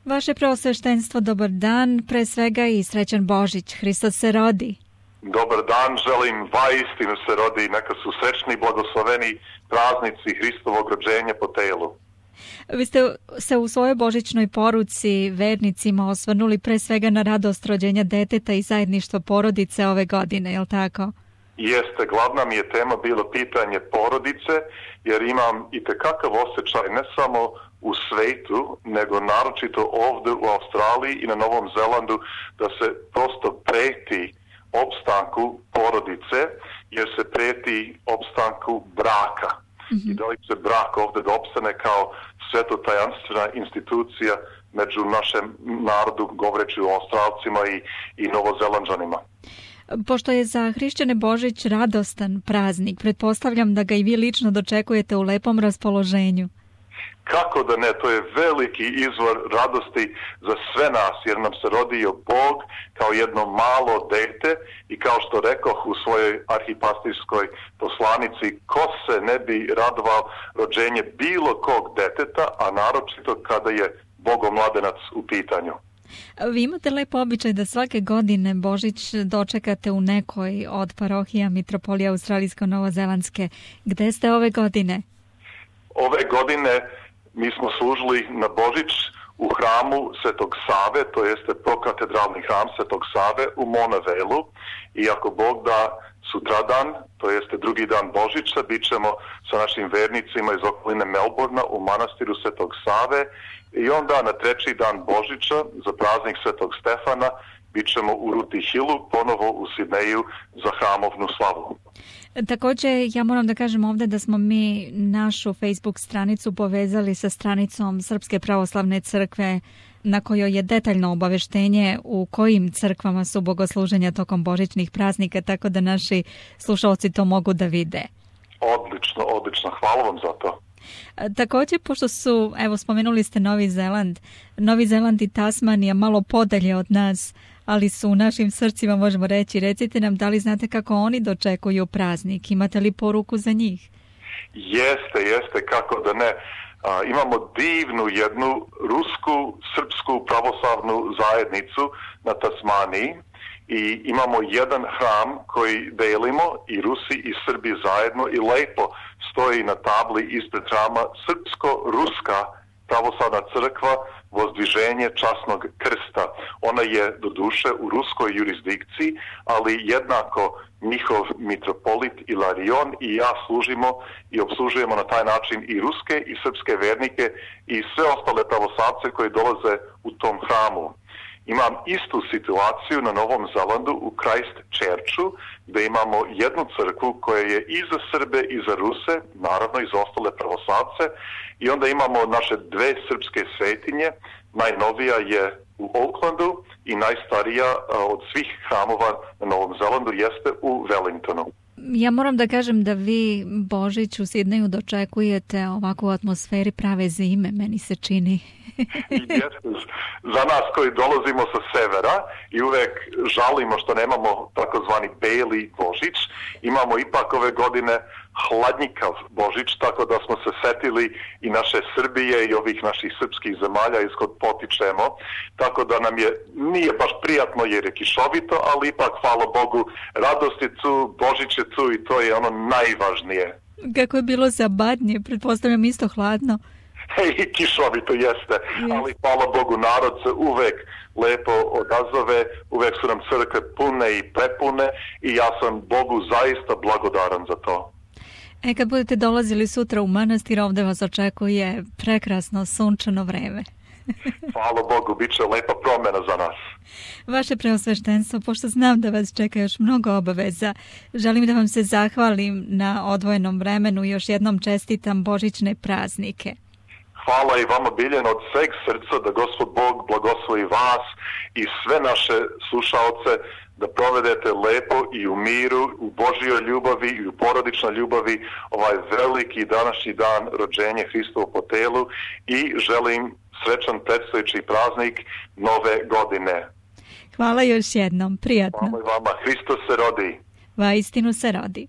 Vaše preosveštenstvo, dobar dan, pre svega i srećan Božić, Hristos se rodi. Dobar dan, želim, vaistinu se rodi, neka su srećni i blagosloveni praznici Hristovog rođenja po telu. Vi ste se u svojoj božićnoj poruci vernicima osvrnuli pre svega na radost rođenja deteta i zajedništvo porodice ove godine, je li tako? Jeste, glavna mi je tema bilo pitanje porodice, jer imam itekakav osjećaj ne samo u svetu, nego naročito ovdje u Australiji i na Novom Zelandu, da se prosto preti opstanku porodice, jer se preti opstanku braka. I da li će brak ovdje da opstane kao svetotajanstvena institucija među našem narodu, govoreći o Australcima i Novozelanđanima. Pošto je za hrišćane Božić radostan praznik, pretpostavljam da ga i vi lično dočekujete u lepom raspoloženju. Kako da ne, to je veliki izvor radosti za sve nas, jer nam se rodio Bog kao jedno malo dete i kao što rekoh u svojoj arhipastirskoj poslanici, ko se ne bi radovao rođenje bilo kog deteta, a naročito kada je bogomladenac u pitanju. Vi imate lep običaj da svake godine Božić dočekate u nekoj od parohija Mitropolije Australijsko-Novozelandske. Gde ste ove godine? Ove godine mi smo služili na Božić u hramu Svetog Save, to jeste prokatedralni hram Svetog Save u Monavelu, i ako Bog da sutradan, to jeste drugi dan Božića, bit ćemo sa našim vernicima iz okoline Melbourna u manastiru Svetog Save, i onda na treći dan Božića za praznik Svetog Stefana bit ćemo u Ruti Hillu, ponovo u Sidneju za hramovnu slavu. Također, ja moram da kažem ovdje da smo mi našu Facebook stranicu povezali sa stranicom Srpske pravoslavne crkve, na kojoj je detaljno obaveštenje u kojim crkvama su bogosluženja tokom božićnih praznika, tako da naši slušalci to mogu da vide. Odlično, odlično. Hvala vam za to. Također, pošto su, evo, spomenuli ste Novi Zeland i Tasmanija malo podalje od nas, ali su u našim srcima, možemo reći. Recite nam, da li znate kako oni dočekuju praznik? Imate li poruku za njih? Jeste, kako da ne. Imamo divnu jednu rusku, srpsku pravoslavnu zajednicu na Tasmaniji i imamo jedan hram koji delimo i Rusi i Srbi zajedno, i lepo stoji na tabli ispred hrama Srpsko-ruska pravoslavna crkva Vozdviženje časnog krsta. Ona je doduše u ruskoj jurisdikciji, ali jednako njihov mitropolit Ilarion i ja služimo i obslužujemo na taj način i ruske i srpske vernike i sve ostale pravoslavce koji dolaze u tom hramu. Imam istu situaciju na Novom Zelandu u Christchurchu, gdje imamo jednu crkvu koja je i za Srbe i za Ruse, naravno i za ostale pravoslavce, i onda imamo naše dve srpske svetinje. Najnovija je u Aucklandu i najstarija od svih hramova na Novom Zelandu jeste u Wellingtonu. Ja moram da kažem da vi Božić u Sidneju dočekujete ovako u atmosferi prave zime, meni se čini. Za nas koji dolazimo sa severa i uvek žalimo što nemamo takozvani beli Božić, imamo ipak ove godine hladnjikav Božić, tako da smo se setili i naše Srbije i ovih naših srpskih zemalja iskod potičemo, tako da nam nije baš prijatno jer je kišovito, ali ipak, hvala Bogu, radost je tu, Božić je tu i to je ono najvažnije. Kako je bilo za Badnje, pretpostavljam isto hladno. I kišovito jeste, ali hvala Bogu, narod se uvek lepo odazove, uvek su nam crkve pune i prepune i ja sam Bogu zaista blagodaran za to. Kad budete dolazili sutra u manastir, ovdje vas očekuje prekrasno sunčano vreme. Hvala Bogu, bit će lepa promjena za nas. Vaše preosveštenstvo, pošto znam da vas čeka još mnogo obaveza, želim da vam se zahvalim na odvojenom vremenu i još jednom čestitam božićne praznike. Hvala i vama, Biljana, od sveg srca, da Gospod Bog blagoslovi vas i sve naše slušalce, da provedete lepo i u miru, u Božjoj ljubavi i u porodičnoj ljubavi ovaj veliki današnji dan rođenja Hristovo po telu i želim srećan predstojeći praznik Nove godine. Hvala još jednom, prijatno. Hvala i vama, Hristos se rodi. Vaistinu se rodi.